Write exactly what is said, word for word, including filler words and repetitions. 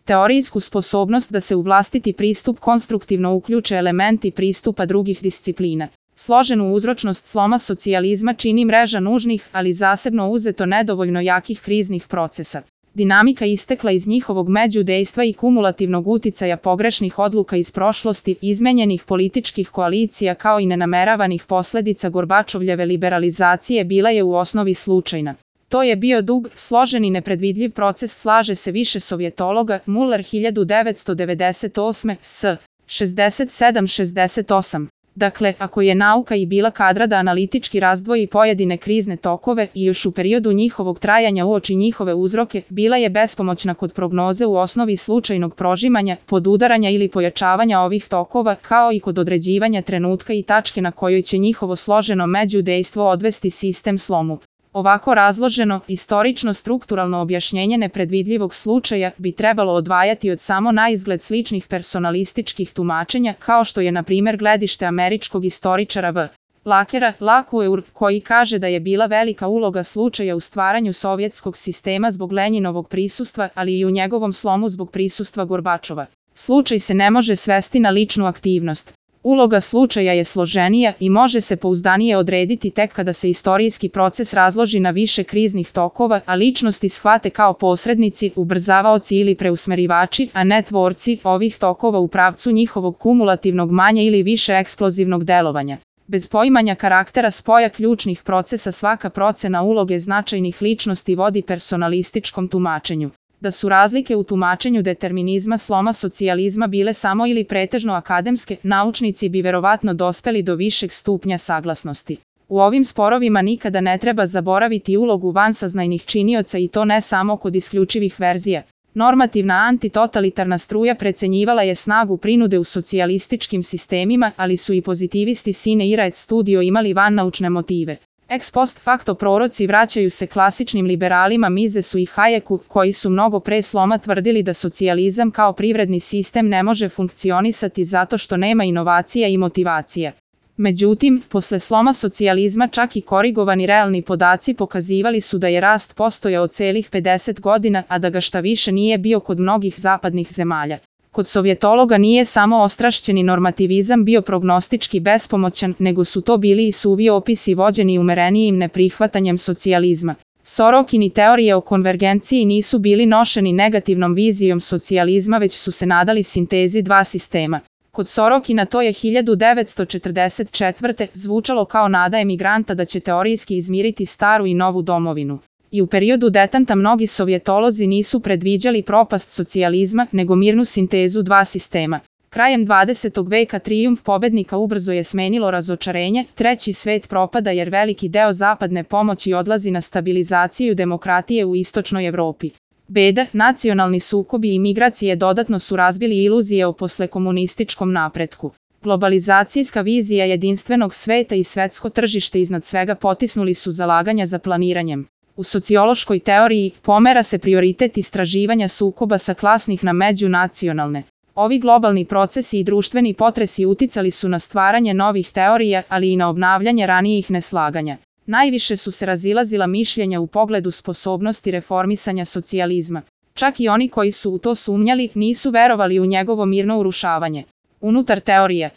teorijsku sposobnost da se u vlastiti pristup konstruktivno uključe elementi pristupa drugih disciplina. Složenu uzročnost sloma socijalizma čini mreža nužnih, ali zasebno uzeto nedovoljno jakih kriznih procesa. Dinamika istekla iz njihovog međudejstva i kumulativnog uticaja pogrešnih odluka iz prošlosti, izmenjenih političkih koalicija kao i nenameravanih posledica Gorbačovljeve liberalizacije bila je u osnovi slučajna. To je bio dug, složen i nepredvidljiv proces, slaže se više sovjetologa, Muller hiljadu devetsto devedeset osme. s. šezdeset sedam šezdeset osam. Dakle, ako je nauka i bila kadra da analitički razdvoji pojedine krizne tokove i još u periodu njihovog trajanja uoči njihove uzroke, bila je bespomoćna kod prognoze u osnovi slučajnog prožimanja, podudaranja ili pojačavanja ovih tokova, kao i kod određivanja trenutka i tačke na kojoj će njihovo složeno međudejstvo odvesti sistem slomu. Ovako razloženo, istorično-strukturalno objašnjenje nepredvidljivog slučaja bi trebalo odvajati od samo naizgled sličnih personalističkih tumačenja, kao što je na primjer gledište američkog istoričara V. Lakera, Lakueur, koji kaže da je bila velika uloga slučaja u stvaranju sovjetskog sistema zbog Lenjinovog prisustva, ali i u njegovom slomu zbog prisustva Gorbačova. Slučaj se ne može svesti na ličnu aktivnost. Uloga slučaja je složenija i može se pouzdanije odrediti tek kada se istorijski proces razloži na više kriznih tokova, a ličnosti shvate kao posrednici, ubrzavaoci ili preusmerivači, a ne tvorci ovih tokova u pravcu njihovog kumulativnog manje ili više eksplozivnog delovanja. Bez poimanja karaktera spoja ključnih procesa svaka procena uloge značajnih ličnosti vodi personalističkom tumačenju. Da su razlike u tumačenju determinizma sloma socijalizma bile samo ili pretežno akademske, naučnici bi verovatno dospeli do višeg stupnja saglasnosti. U ovim sporovima nikada ne treba zaboraviti ulogu vansaznajnih činioca i to ne samo kod isključivih verzija. Normativna antitotalitarna struja precenjivala je snagu prinude u socijalističkim sistemima, ali su i pozitivisti sine ira et studio imali vannaučne motive. Ex post facto proroci vraćaju se klasičnim liberalima Misesu i Hayeku, koji su mnogo pre sloma tvrdili da socijalizam kao privredni sistem ne može funkcionisati zato što nema inovacija i motivacija. Međutim, posle sloma socijalizma čak i korigovani realni podaci pokazivali su da je rast postojao celih pedeset godina, a da ga šta više nije bio kod mnogih zapadnih zemalja. Kod sovjetologa nije samo ostrašćeni normativizam bio prognostički bespomoćan, nego su to bili i suvi opisi vođeni umerenijim neprihvatanjem socijalizma. Sorokini teorije o konvergenciji nisu bili nošeni negativnom vizijom socijalizma, već su se nadali sintezi dva sistema. Kod Sorokina to je hiljadu devetsto četrdeset četvrte zvučalo kao nada emigranta da će teorijski izmiriti staru i novu domovinu. I u periodu detanta mnogi sovjetolozi nisu predviđali propast socijalizma, nego mirnu sintezu dva sistema. Krajem dvadesetog veka trijumf pobednika ubrzo je smenilo razočarenje, treći svet propada jer veliki deo zapadne pomoći odlazi na stabilizaciju demokratije u istočnoj Evropi. Beda, nacionalni sukobi i migracije dodatno su razbili iluzije o poslekomunističkom napretku. Globalizacijska vizija jedinstvenog sveta i svetsko tržište iznad svega potisnuli su zalaganja za planiranjem. U sociološkoj teoriji pomera se prioritet istraživanja sukoba sa klasnih na međunacionalne. Ovi globalni procesi i društveni potresi uticali su na stvaranje novih teorija, ali i na obnavljanje ranijih neslaganja. Najviše su se razilazila mišljenja u pogledu sposobnosti reformisanja socijalizma. Čak i oni koji su u to sumnjali nisu verovali u njegovo mirno urušavanje. Unutar teorije